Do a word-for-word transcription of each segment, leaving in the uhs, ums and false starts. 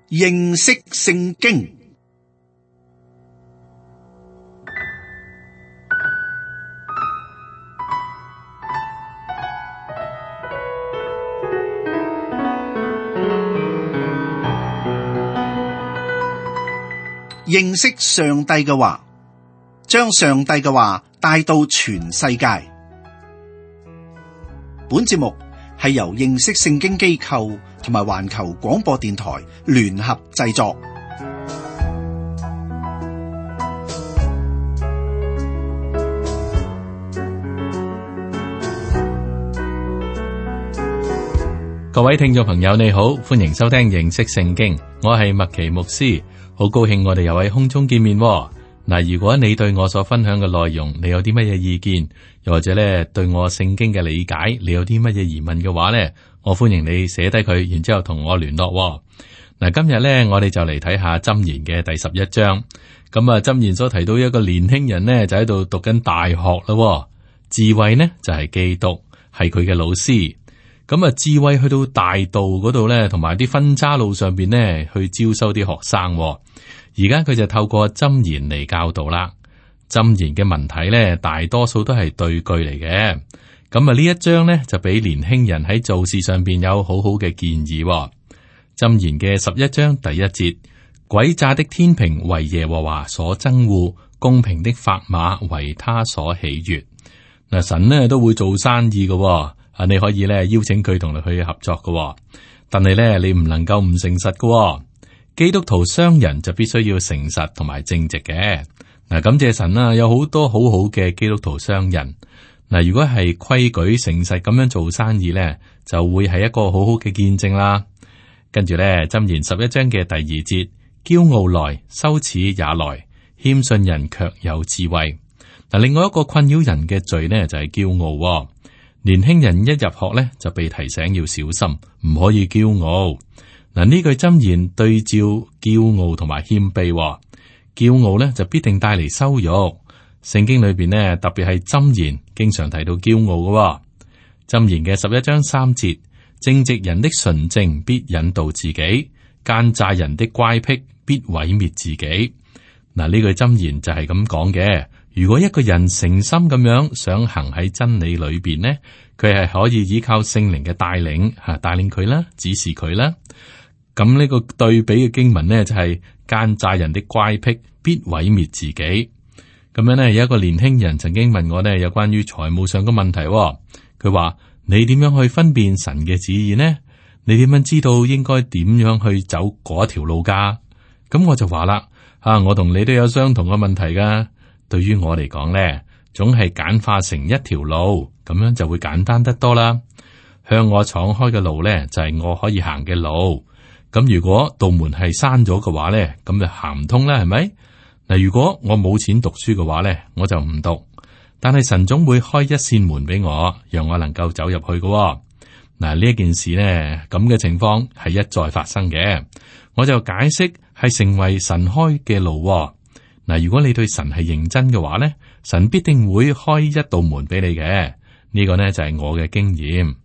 認識聖經。認識上帝嘅話，將上帝嘅話帶到全世界。本節目係由認識聖經機構同埋環球廣播電台聯合製作。各位聽眾朋友，你好，歡迎收聽認識聖經，我係麥奇牧師，好高興我哋又喺空中見面。嗱，如果你對我所分享嘅內容，你有啲乜嘢意見，又或者咧對我聖經嘅理解，你有啲乜嘢疑問嘅話咧，我歡迎你寫低佢，然之後同我聯絡。嗱，今日咧我哋就嚟睇下箴言嘅第十一章。咁啊，箴言所提到一個年輕人呢，就喺度讀緊大學啦。智慧呢就係基督，係佢嘅老師。咁啊，智慧去到大道嗰度咧，同埋啲分岔路上邊呢，去招收啲學生。而家佢就透過箴言嚟教導啦。箴言嘅文體咧，大多數都係對句嚟嘅。咁啊，呢一章咧就俾年輕人喺做事上邊有好好嘅建議。箴言嘅十一章第一節：詭詐的天平為耶和華所憎惡，公平的砝碼為他所喜悅。嗱，神呢都會做生意嘅。啊，你可以咧邀請佢同你去合作嘅，但係咧你唔能夠唔誠實嘅。基督徒商人就必須要誠實同埋正直嘅。嗱，感謝神啦，有好多好好嘅基督徒商人。嗱，如果係規矩誠實咁樣做生意咧，就會係一個好好嘅見證啦。跟住咧，箴言十一章嘅第二節：驕傲來，羞恥也來；謙遜人卻有智慧。嗱，另外一個困擾人嘅罪呢，就係驕傲。年輕人一入學咧，就被提醒要小心，唔可以驕傲。嗱，呢句箴言對照驕傲同埋謙卑。驕傲咧就必定帶嚟羞辱。聖經裏邊呢，特別係箴言經常提到驕傲嘅。箴言嘅十一章三節：正直人的純正必引導自己，奸詐人的乖僻必毀滅自己。嗱，呢句箴言就係咁講嘅。如果一個人誠心咁樣想行喺真理裏邊呢，佢係可以依靠聖靈嘅帶領吓，帶領佢啦，指示佢啦。咁呢個對比嘅經文呢，就係奸詐人的乖僻必毀滅自己。咁樣呢，有一個年輕人曾經問我呢，有關於財務上嘅問題。佢話：你點樣去分辨神嘅旨意呢？你點樣知道應該點樣去走嗰條路噶？咁我就話啦，啊，我同你都有相同嘅問題噶。對於我嚟講咧，總係簡化成一條路，咁樣就會簡單得多啦。向我敞開嘅路咧，就係我可以行嘅路。咁如果道門係閂咗嘅話咧，咁就行唔通啦，係咪？嗱，如果我冇錢讀書嘅話咧，我就唔讀。但係神總會開一扇門俾我，讓我能夠走入去嘅。嗱，呢一件事呢，咁嘅情況係一再發生嘅。我就解釋係成為神開嘅路。嗱，如果你對神係認真嘅話咧，神必定會開一道門俾你嘅。呢個呢就係我嘅經驗。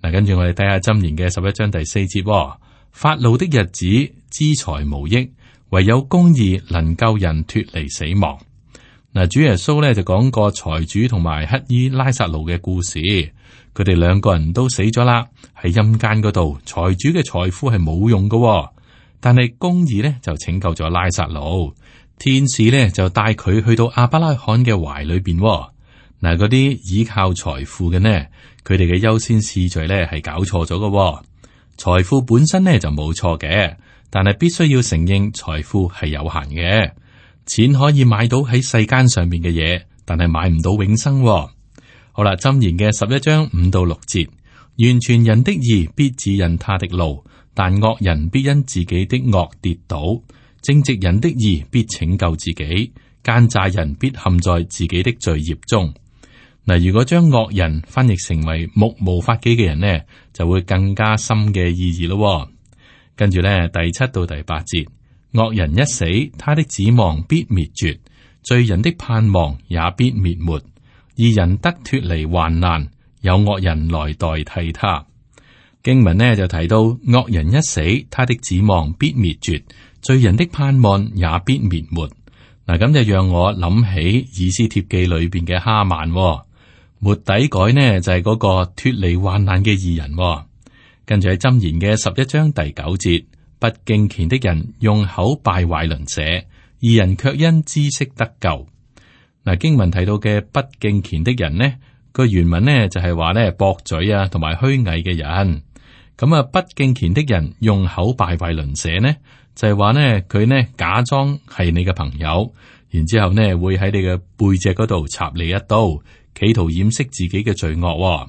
嗱，跟住我哋睇下箴言嘅十一章第四節：發怒的日子，資財無益，唯有公義能救人脫離死亡。嗱，主耶穌咧就講過財主同埋乞衣拉撒路嘅故事，佢哋兩個人都死咗啦，喺陰間嗰度，財主嘅財富係冇用嘅，但係公義咧就拯救咗拉撒路。天使咧就帶佢去到亞伯拉罕嘅懷裏邊。嗱，嗰啲依靠財富嘅呢，佢哋嘅優先次序咧係搞錯咗嘅。財富本身咧就冇錯嘅，但係必須要承認財富係有限嘅。錢可以買到喺世間上面嘅嘢，但係買唔到永生。好啦，箴言嘅十一章五到六節：完全人的義必指引他的路，但惡人必因自己的惡跌倒。正直人的義必拯救自己，奸詐人必陷在自己的罪孽中。嗱，如果將惡人翻譯成為目無法紀嘅人呢，就會更加深嘅意義咯。跟住咧，第七到第八節：惡人一死，他的指望必滅絕；罪人的盼望也必滅沒。義人得脫離患難，有惡人來代替他。經文呢就提到惡人一死，他的指望必滅絕，罪人的盼望也必滅沒。嗱，咁就讓我諗起以斯帖記裏邊嘅哈曼，末底改呢就係、是、嗰個脫離患難嘅義人。跟住喺箴言嘅十一章第九節，不敬虔的人用口敗壞鄰舍，義人卻因知識得救。嗱，經文提到嘅不敬虔的人呢，個原文呢就係話咧駁嘴啊，同埋虛偽嘅人。咁啊，不敬虔的人用口敗壞鄰舍呢，就係話呢佢呢假裝係你嘅朋友，然之後呢會喺你嘅背脊嗰度插你一刀，企圖掩飾自己嘅罪惡。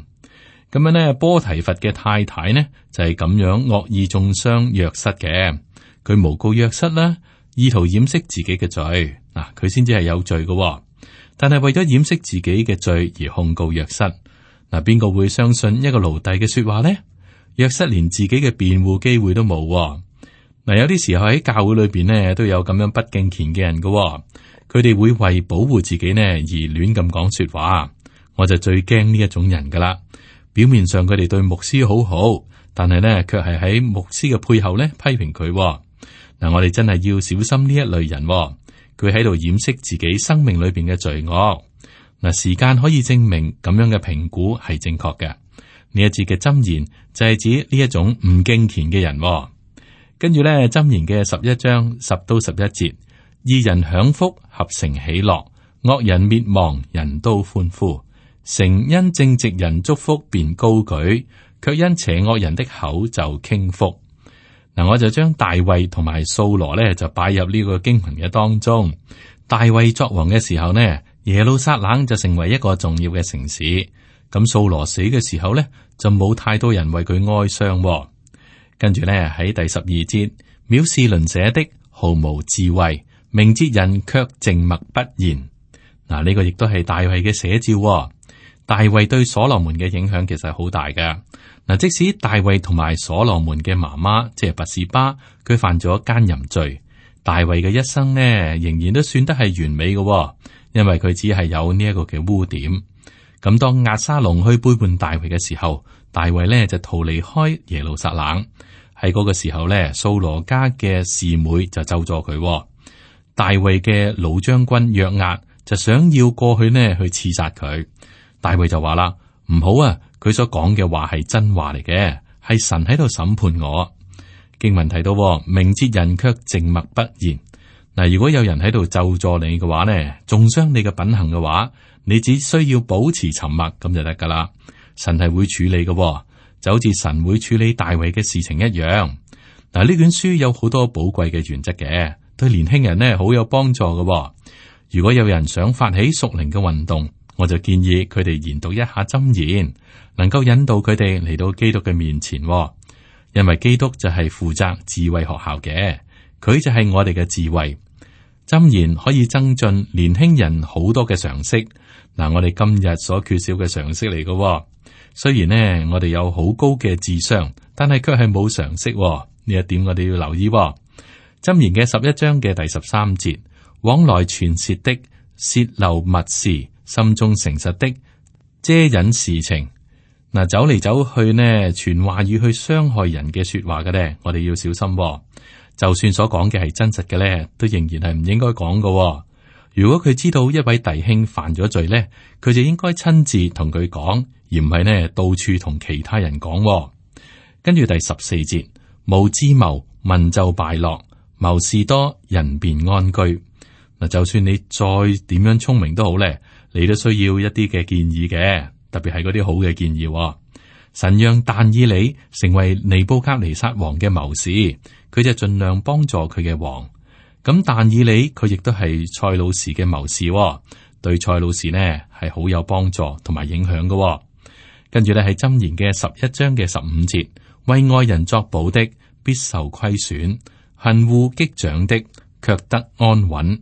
咁樣呢，波提乏嘅太太呢就係咁樣惡意中傷約瑟嘅，佢誣告約瑟啦，意圖掩飾自己嘅罪。嗱，佢先至係有罪嘅，但係為咗掩飾自己嘅罪而控告約瑟。嗱，邊個會相信一個奴隸嘅說話呢？約瑟連自己嘅辯護機會都冇。嗱，有啲時候喺教會裏邊呢都有咁樣不敬虔嘅人嘅，佢哋會為保護自己呢而亂咁講說話。我就最驚呢一種人噶啦。表面上佢哋對牧師好好，但係呢卻係喺牧師嘅背後呢批評佢。嗱，我哋真係要小心呢一類人，佢喺度掩飾自己生命裏邊嘅罪惡。嗱，時間可以證明咁樣嘅評估係正確嘅。呢一節嘅箴言就係指呢一種唔敬虔嘅人。跟住咧，箴言嘅十一章十到十一節，義人享福，合城喜樂；惡人滅亡，人都歡呼。城因正直人祝福便高舉，卻因邪惡人的口就傾覆。嗱，我就將大衛同埋掃羅咧就擺入呢個經文嘅當中。大衛作王嘅時候呢，耶路撒冷就成為一個重要嘅城市。咁掃羅死嘅時候呢，就冇太多人為佢哀傷。跟住呢，喺第十二節，藐視鄰舍的毫無智慧，明哲人卻靜默不言。嗱，呢個亦都係大衛嘅寫照。大衛對所羅門嘅影響其實係好大㗎。嗱，即使大衛同埋所羅門嘅媽媽即係拔示巴，佢犯咗奸淫罪，大衛嘅一生呢，仍然都算得係完美嘅，因為佢只係有呢一個嘅污點。咁當押沙龍去背叛大衛嘅時候，大衛呢就逃離開耶路撒冷。喺嗰個時候呢，掃羅家嘅示妹就咒咗佢。大衛嘅老將軍約押就想要過去呢去刺殺佢。大衛就話啦：唔好啊！佢所講嘅話係真話嚟嘅，係神喺度審判我。經文提到，明哲人卻靜默不言。嗱，如果有人喺度咒詛你嘅話呢，中傷你嘅品行嘅話，你只需要保持沉默咁就得噶啦。神係會處理嘅，就好似神會處理大衛嘅事情一樣。嗱，呢卷書有好多寶貴嘅原則嘅，對年輕人呢好有幫助嘅。如果有人想發起屬靈嘅運動，我就建議佢哋研讀一下箴言，能夠引導佢哋嚟到基督嘅面前。因為基督就係負責智慧學校嘅，佢就係我哋嘅智慧。箴言可以增進年輕人好多嘅常識。嗱，我哋今日所缺少嘅常識嚟嘅。雖然呢，我哋有好高嘅智商，但係卻係冇常識。呢一點我哋要留意。箴言嘅十一章嘅第十三節，往來傳舌的泄漏密事，心中誠實的遮隱事情。嗱，走嚟走去呢，傳話語去傷害人嘅說話嘅咧，我哋要小心。就算所講嘅係真實嘅咧，都仍然係唔應該講嘅。如果佢知道一位弟兄犯咗罪咧，佢就應該親自同佢講，而唔係呢到處同其他人講。跟住第十四節，無智謀，民就敗落；謀士多，人便安居。嗱，就算你再點樣聰明都好咧，你都需要一啲嘅建議嘅，特別係嗰啲好嘅建議。神讓但以理成為尼布甲尼撒王嘅謀士，佢就盡量幫助佢嘅王。咁但以理佢亦都係塞魯士嘅謀士，對塞魯士呢係好有幫助同埋影響嘅。跟住咧喺箴言嘅十一章嘅十五節，為愛人作保的必受虧損，恨惡擊掌的卻得安穩。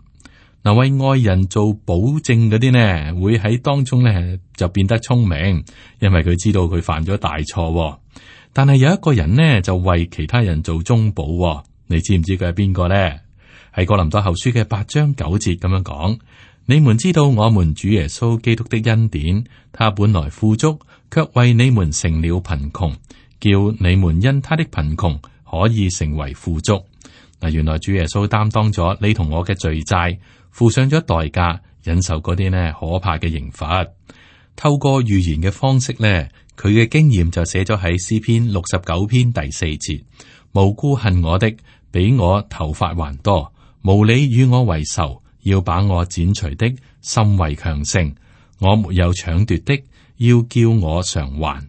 嗱，為愛人做保證嗰啲呢，會喺當中呢就變得聰明，因為佢知道佢犯咗大錯。但係有一個人呢，就為其他人做中保，你知唔知佢係邊個呢？係哥林多後書嘅八章九節咁樣講：你們知道我們主耶穌基督的恩典，他本來富足，卻為你們成了貧窮，叫你們因他的貧窮可以成為富足。嗱，原來主耶穌擔當咗你同我嘅罪債，付上咗代價，忍受嗰啲呢可怕嘅刑罰。透過預言嘅方式呢，佢嘅經驗就寫咗喺詩篇六十九篇第四節：無辜恨我的，比我頭髮還多；無理與我為仇，要把我剪除的，甚為強盛。我沒有搶奪的，要叫我償還。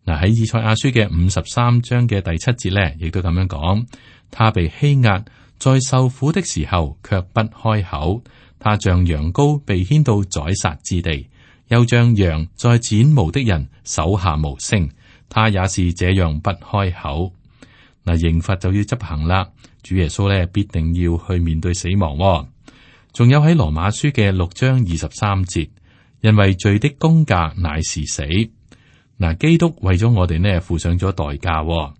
嗱，喺以賽亞書嘅五十三章嘅第七節呢，亦都咁樣講：他被欺壓，在受苦的時候卻不開口；他像羊羔被牽到宰殺之地，又像羊在剪毛的人手下無聲。他也是這樣不開口。嗱，刑罰就要執行啦，主耶穌呢必定要去面對死亡喎。仲有喺羅馬書嘅六章二十三節。因為罪的工價乃是死。嗱，基督為咗我哋呢付上咗代價。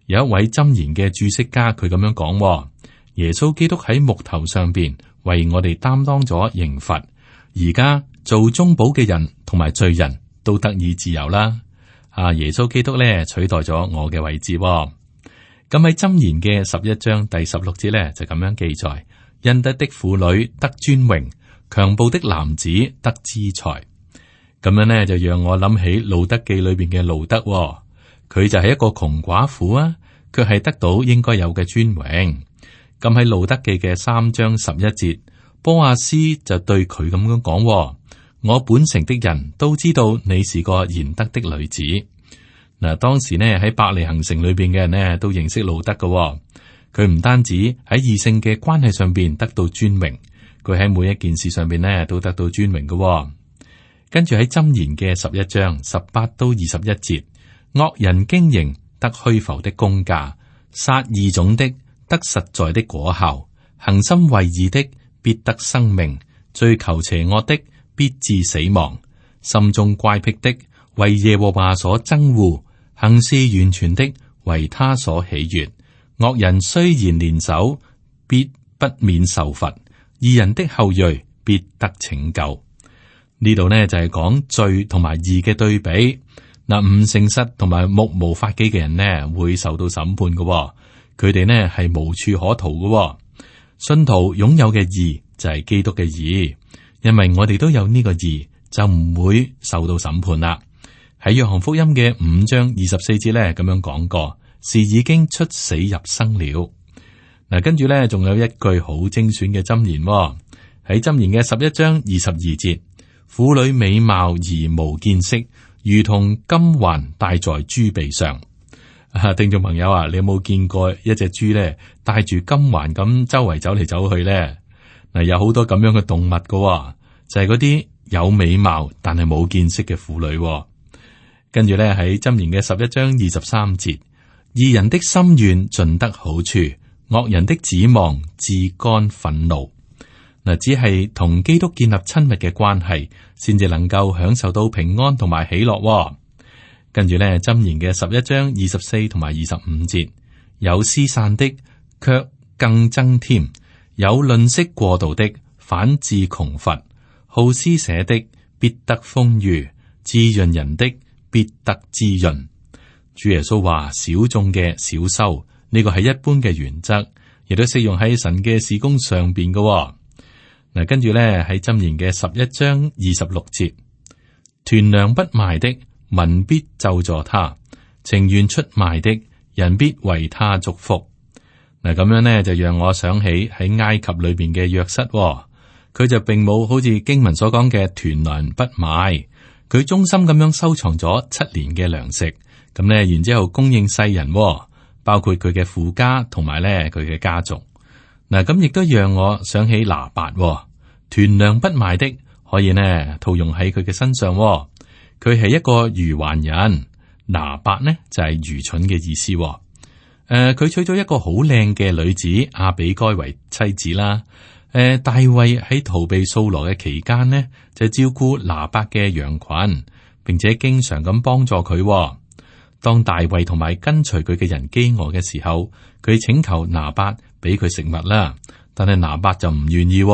有一位箴言嘅注釋家，佢咁樣講：耶穌基督喺木頭上邊為我哋擔當咗刑罰，而家做中保嘅人同埋罪人都得以自由啦。啊，耶穌基督呢取代咗我嘅位置。咁喺箴言嘅十一章第十六節呢，就咁樣記載：恩德的婦女得尊榮，強暴的男子得資財。咁樣呢，就讓我諗起路德記裏邊嘅路德，佢就係一個窮寡婦啊，卻係得到應該有嘅尊榮。咁喺路德記嘅三章十一節，波阿斯就對佢咁樣講：我本城的人都知道你是個賢德的女子。嗱，當時呢喺伯利恆城裏邊嘅人呢都認識路德嘅，佢唔單止喺異性嘅關係上邊得到尊榮。佢喺每一件事上邊呢都得到尊榮嘅、哦。跟住喺箴言嘅十一章十八到二十一節，惡人經營得虛浮的工價，殺異種的得實在的果效，恒心為義的必得生命，追求邪惡的必致死亡，心中乖僻的為耶和華所憎惡，行事完全的為他所喜悅。惡人雖然連手，必不免受罰。義人的後裔必得拯救。呢度呢就係講罪同埋義嘅對比。嗱，唔誠實同埋目無法紀嘅人呢會受到審判嘅，佢哋呢係無處可逃嘅。信徒擁有嘅義就係基督嘅義，因為我哋都有呢個義，就唔會受到審判啦。喺約翰福音嘅五章二十四節呢咁樣講過，是已經出死入生了。嗱，跟住咧，仲有一句好精選嘅箴言喎，喺箴言嘅十一章二十二節：婦女美貌而無見識，如同金環戴在豬鼻上。啊，聽眾朋友啊，你有冇見過一隻豬咧戴住金環咁周圍走嚟走去咧？嗱，有好多咁樣嘅動物噶喎，就係嗰啲有美貌但係冇見識嘅婦女喎。跟住咧喺箴言嘅十一章二十三節：義人的心願盡得好處，惡人的指望自乾憤怒。嗱，只係同基督建立親密嘅關係，先至能夠享受到平安同埋喜樂。跟住咧，箴言嘅十一章二十四同埋二十五節，有施散的卻更增添，有吝嗇過度的反致窮乏，好施捨的必得豐裕，滋潤人的必得滋潤。主耶穌話：少種嘅少收。呢個係一般嘅原則，亦都適用喺神嘅事工上邊嘅。嗱，跟住咧喺箴言嘅十一章二十六節，團糧不賣的民必咒詛他，情願出賣的人必為他祝福。嗱，咁樣呢，就讓我想起喺埃及裏邊嘅約瑟，佢就並冇好似經文所講嘅團糧不賣，佢忠心咁樣收藏咗七年嘅糧食，咁呢，然之後供應世人。包括佢嘅父家同埋咧佢嘅家族。嗱，咁亦都讓我想起拿八，團糧不賣的，可以呢套用喺佢嘅身上。佢係一個愚頑人，拿八呢就係、是、愚蠢嘅意思。誒、呃，佢娶咗一個好靚嘅女子亞比該為妻子啦。誒、呃，大衛喺逃避掃羅嘅期間呢，就照顧拿八嘅羊群，並且經常咁幫助佢。當大衛同埋跟隨佢嘅人飢餓嘅時候，佢請求拿八俾佢食物啦，但係拿八就唔願意，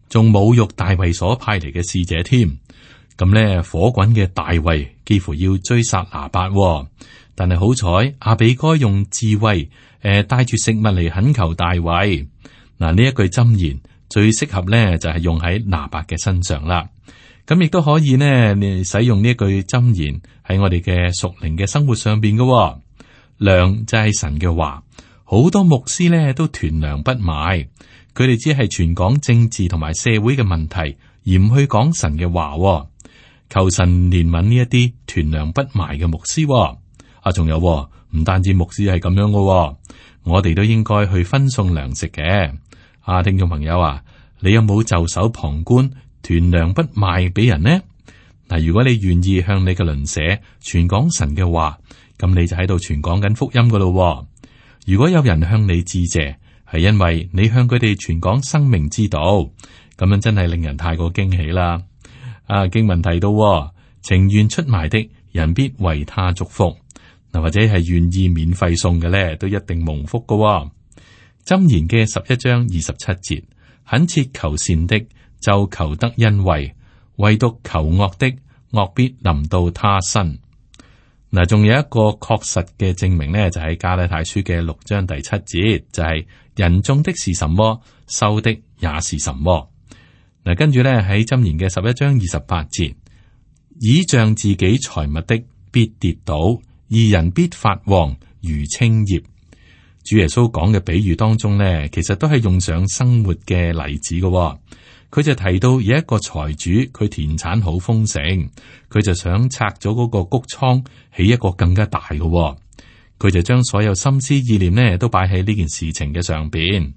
仲侮辱大衛所派嚟嘅使者添。咁咧，火滾嘅大衛幾乎要追殺拿八，但係好彩，阿比該用智慧，誒、呃，帶住食物嚟懇求大衛。嗱，呢一句箴言最適合咧，就係、是、用喺拿伯嘅身上啦。咁亦都可以呢，你使用呢一句箴言喺我哋嘅屬靈嘅生活上邊嘅、哦。糧就係神嘅話，好多牧師咧都囤糧不賣，佢哋只係傳講政治同埋社會嘅問題，而唔去講神嘅話、哦。求神憐憫呢一啲囤糧不賣嘅牧師、哦。啊，仲有唔、哦、單止牧師係咁樣嘅、哦，我哋都應該去分送糧食嘅。啊，聽眾朋友啊，你有冇袖手旁觀，囤糧不賣俾人呢？嗱，如果你願意向你嘅鄰舍傳講神嘅話，咁你就喺度傳講緊福音噶咯。如果有人向你致謝，係因為你向佢哋傳講生命之道，咁樣真係令人太過驚喜啦。啊，經文提到，情願出賣的人必為他祝福。嗱，或者係願意免費送嘅咧，都一定蒙福噶。箴言嘅十一章二十七節，懇切求善的就求得恩惠，唯獨求惡的，惡必臨到他身。嗱，仲有一個確實嘅證明呢，就喺加拉太書嘅六章第七節，就係、是、人種的是什麼，收的也是什麼。嗱，跟住咧喺箴言嘅十一章二十八節，倚仗自己財物的必跌倒，義人必發旺如青葉。主耶穌講嘅比喻當中呢，其實都係用上生活嘅例子嘅。佢就提到有一個財主，佢田產好豐盛，佢就想拆咗嗰個谷倉，起一個更加大嘅。佢就將所有心思意念呢都擺喺呢件事情嘅上邊，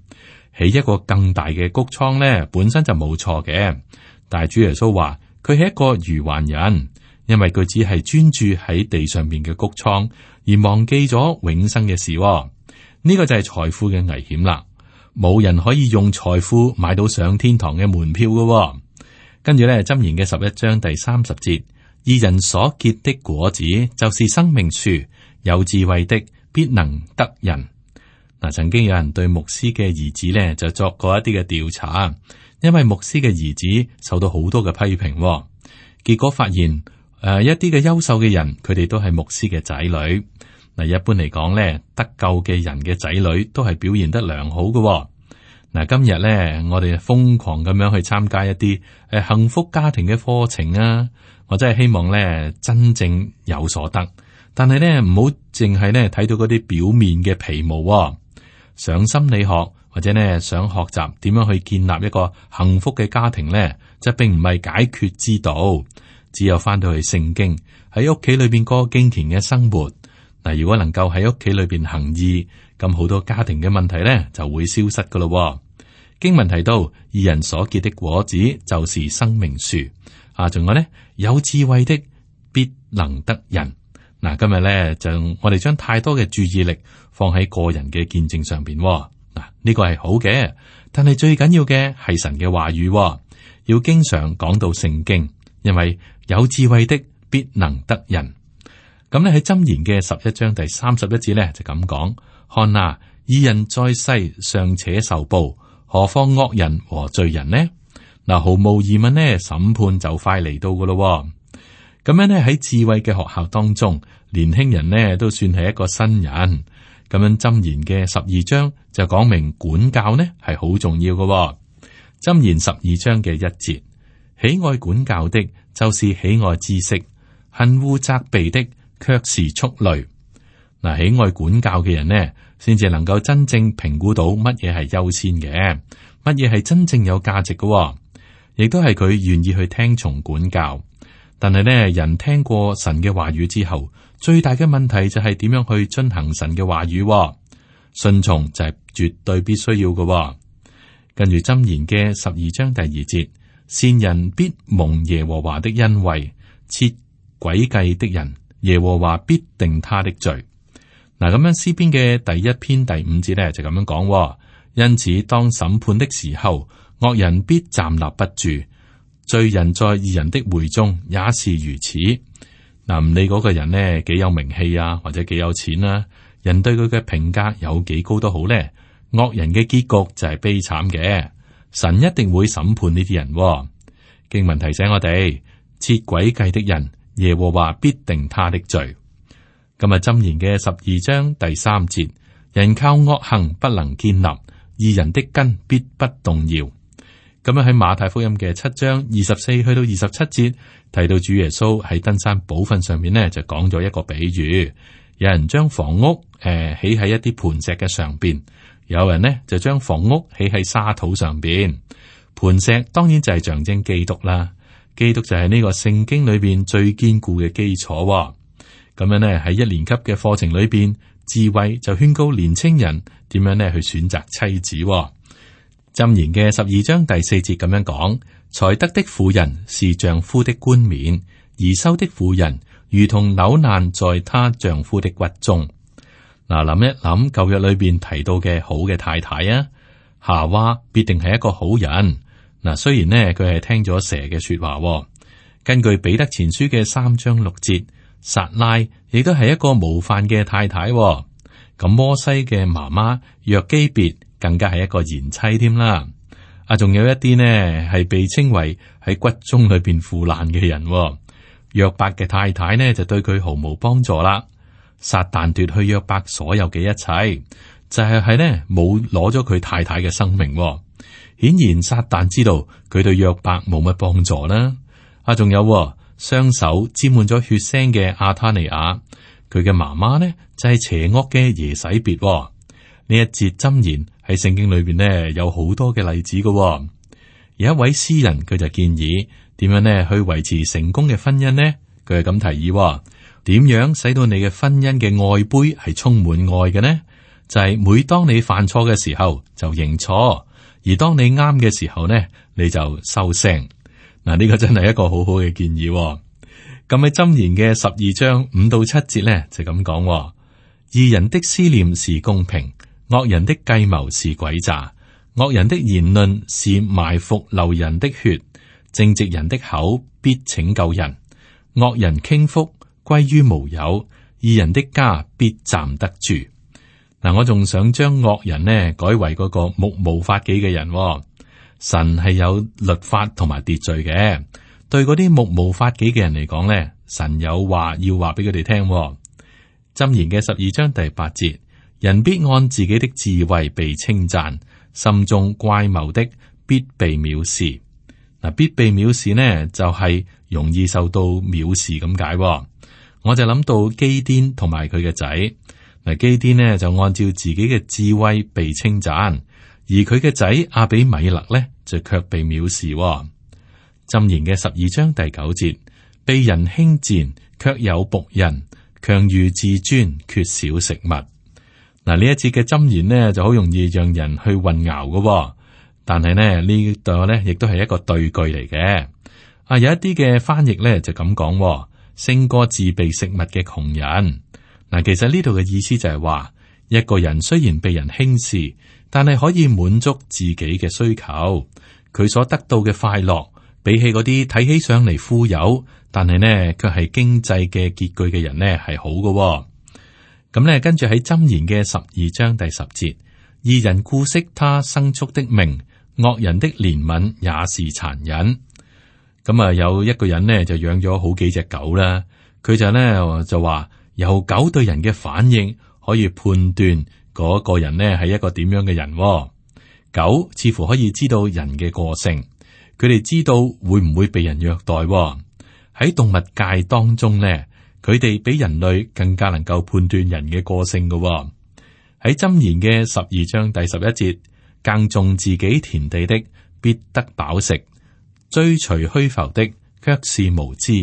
起一個更大嘅谷倉呢，本身就冇錯嘅。但係主耶穌話佢係一個愚頑人，因為佢只係專注喺地上面嘅谷倉，而忘記咗永生嘅事。呢個就係財富嘅危險啦，冇人可以用財富買到上天堂嘅門票嘅。跟住咧，箴言嘅十一章第三十節，義人所結的果子就是生命樹，有智慧的必能得人。嗱，曾經有人對牧師嘅兒子呢就作過一啲嘅調查，因為牧師嘅兒子受到好多嘅批評，結果發現誒、呃、一啲嘅優秀嘅人，佢哋都係牧師嘅仔女。嗱，一般嚟講咧，得救嘅人嘅仔女都係表現得良好嘅。嗱，今日咧，我哋瘋狂咁樣去參加一啲誒幸福家庭嘅課程啊，或者係希望咧真正有所得。但係咧，唔好淨係咧睇到嗰啲表面嘅皮毛。上心理學或者咧想學習點樣去建立一個幸福嘅家庭咧，就並唔係解決之道。只有翻到去聖經喺屋企裏邊過敬虔嘅生活。嗱，如果能夠喺屋企裏邊行義，咁好多家庭嘅問題咧就會消失噶咯。經文提到，義人所結的果子就是生命樹。啊，仲有咧，有智慧的必能得人。嗱，今日咧就我哋將太多嘅注意力放喺個人嘅見證上邊。嗱，呢個係好嘅，但係最緊要嘅係神嘅話語，要經常講到聖經，因為有智慧的必能得人。咁咧喺箴言嘅十一章第三十一節咧就咁講：看啊，義人在世尚且受報，何況惡人和罪人呢？嗱，毫無疑問呢，審判就快嚟到噶咯。咁樣咧喺智慧嘅學校當中，年輕人呢都算係一個新人。咁樣箴言嘅十二章就講明管教呢係好重要噶。箴言十二章嘅一節：喜愛管教的，就是喜愛知識；恨惡責備的，卻是畜類。嗱，喜愛管教嘅人呢，先至能夠真正評估到乜嘢係優先嘅，乜嘢係真正有價值嘅，亦都係佢願意去聽從管教。但係呢，人聽過神嘅話語之後，最大嘅問題就係點樣去遵行神嘅話語。順從就係絕對必須要嘅。跟住箴言嘅十二章第二節：善人必蒙耶和華的恩惠，設詭計的人，耶和華必定他的罪。嗱，咁樣詩篇嘅第一篇第五節咧就咁樣講，因此當審判的時候，惡人必站立不住，罪人在義人的會中也是如此。嗱，唔理嗰個人呢幾有名氣啊，或者幾有錢啊，人對佢嘅評價有幾高都好咧，惡人嘅結局就係悲慘嘅。神一定會審判呢啲人。經文提醒我哋，設詭計的人，耶和華必定他的罪。今日箴言嘅十二章第三節，人靠惡行不能建立，義人的根必不動搖。咁樣喺馬太福音嘅七章二十四去到二十七節提到主耶穌喺登山寶訓上面呢，就講咗一個比喻，有人將房屋誒、呃、起喺一啲磐石嘅上邊，有人呢就將房屋起喺沙土上邊。磐石當然就係象徵基督啦，基督就係呢個聖經裏邊最堅固嘅基礎、哦。咁樣呢喺一年級嘅課程裏邊，智慧就勸告年青人點樣呢去選擇妻子、哦。箴言嘅十二章第四節咁樣講：才德的婦人是丈夫的冠冕，貽羞的婦人如同朽爛在她丈夫的骨中。嗱，諗一諗舊約裏邊提到嘅好嘅太太啊，夏娃必定係一個好人。嗱，雖然呢佢係聽咗蛇嘅說話，根據彼得前書嘅三章六節，撒拉亦都係一個模範嘅太太。咁摩西嘅媽媽約基別更加係一個賢妻添啦。啊，仲有一啲呢係被稱為喺骨中裏邊腐爛嘅人。約伯嘅太太呢就對佢毫無幫助啦。撒旦奪去約伯所有嘅一切，就係係呢冇攞咗佢太太嘅生命。顯然撒旦知道佢對約伯冇乜幫助啦。啊，仲有雙手沾滿咗血腥嘅亞他尼亞，佢嘅媽媽呢就係邪惡嘅耶洗別。呢一節箴言喺聖經裏邊呢有好多嘅例子嘅。有一位詩人佢就建議點樣呢去維持成功嘅婚姻呢？佢係咁提議，點樣使到你嘅婚姻嘅愛杯係充滿愛嘅呢？就係每當你犯錯嘅時候就認錯，而當你啱嘅時候呢，你就收聲。嗱，呢個真係一個好好嘅建議。咁喺箴言嘅十二章五到七節呢，就咁講：義人的思念是公平，惡人的計謀是詭詐，惡人的言論是埋伏流人的血，正直人的口必拯救人，惡人傾覆歸於無有，義人的家必站得住。嗱，我仲想將惡人呢改為嗰個目無法紀嘅人。神係有律法同埋秩序嘅，對嗰啲目無法紀嘅人嚟講呢，神有話要話俾佢哋聽。箴言嘅十二章第八節，人必按自己的智慧被稱讚，心中乖謬的必被藐視。嗱，必被藐視呢，就係容易受到藐視咁解。我就諗到基甸同埋佢嘅仔。嗱，基甸呢就按照自己嘅智慧被稱讚。而佢嘅仔亞比米勒呢，就卻被藐視。箴言嘅十二章第九節，被人輕賤，卻有僕人，強如自尊，缺少食物。嗱，呢一節嘅箴言呢，就好容易讓人去混淆嘅。但係呢呢度呢，亦都係一個對句嚟嘅。啊，有一啲嘅翻譯呢，就咁講，勝過自備食物嘅窮人。嗱，其實呢度嘅意思就係話，一個人雖然被人輕視，但係可以滿足自己嘅需求，佢所得到嘅快樂，比起嗰啲睇起上嚟富有，但係呢卻係經濟嘅拮據嘅人呢係好嘅。咁呢，跟住喺箴言嘅十二章第十節，義人顧惜他牲畜的命，惡人的憐憫也是殘忍。咁啊，有一個人呢就養咗好幾隻狗啦，佢就呢就話由狗對人嘅反應可以判斷嗰個人呢係一個點樣嘅人。狗似乎可以知道人嘅個性，佢哋知道會唔會被人虐待。喺動物界當中呢，佢哋比人類更加能夠判斷人嘅個性嘅。喺箴言嘅十二章第十一節，耕種自己田地的必得飽食，追隨虛浮的卻是無知。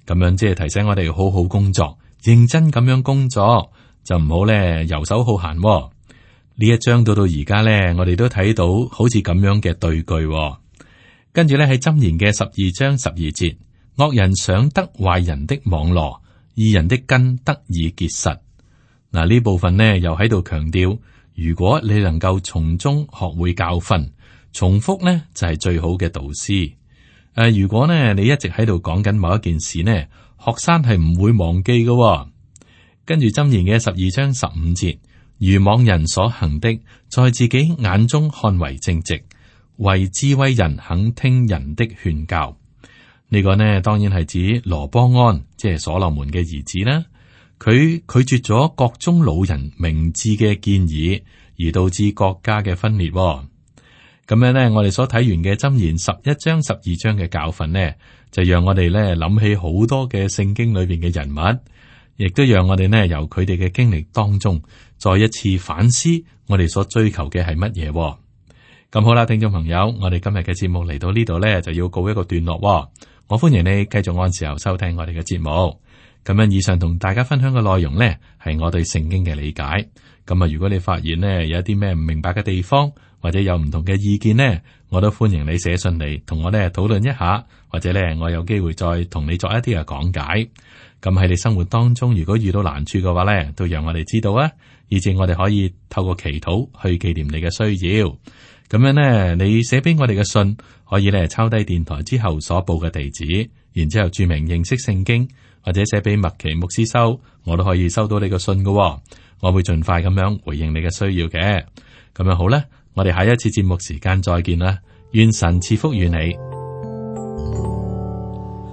咁樣即係提醒我哋好好工作，認真咁樣工作。就唔好咧游手好閒。呢一章到到而家咧，我哋都睇到好似咁樣嘅對句。跟住咧喺箴言嘅十二章十二節，惡人想得壞人的網羅，義人的根得以結實。嗱，呢部分呢又喺度強調，如果你能夠從中學會教訓，重複呢就係最好嘅導師。誒，如果呢你一直喺度講緊某一件事呢，學生係唔會忘記嘅。跟住箴言嘅十二章十五節，愚妄人所行的，在自己眼中看為正直，為智慧人肯聽人的勸教。呢、這個呢，當然係指羅波安，即係所羅門嘅兒子啦。佢拒絕咗國中老人明智嘅建議，而導致國家嘅分裂。咁樣呢，我哋所睇完嘅箴言十一章、十二章嘅教訓呢，就讓我哋咧諗起好多嘅聖經裏邊嘅人物，亦都讓我哋呢由佢哋嘅經歷當中，再一次反思我哋所追求嘅係乜嘢。咁好啦，聽眾朋友，我哋今日嘅節目嚟到呢度呢，就要告一個段落。我歡迎你繼續按時候收聽我哋嘅節目。咁樣以上同大家分享嘅內容呢，係我對聖經嘅理解。咁啊，如果你發現呢有一啲咩唔明白嘅地方，或者有唔同嘅意見呢，我都歡迎你寫信嚟同我呢討論一下，或者呢我有機會再同你作一啲嘅講解。咁喺你生活當中，如果遇到難處嘅話呢，都讓我哋知道啊，以至我哋可以透過祈禱去紀念你嘅需要。咁樣呢，你寫俾我哋嘅信可以呢抄低電台之後所報嘅地址，然之後注明認識聖經，或者寫俾麥奇牧師收，我都可以收到你嘅信㗎。我會盡快咁樣回應你嘅需要嘅。咁樣好啦，我哋下一次節目時間再見啦，願神賜福與你。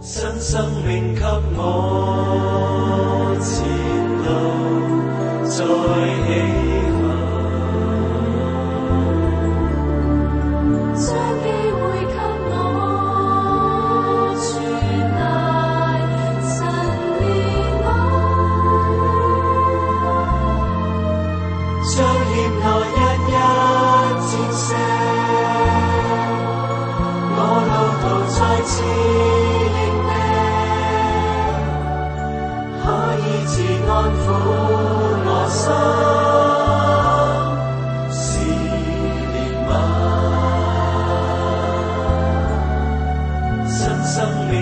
新生命給我前路再起航，將機會給我傳達神憐愛，將險惡一一戰勝，我路途再次安撫我心，是憐憫，新生命。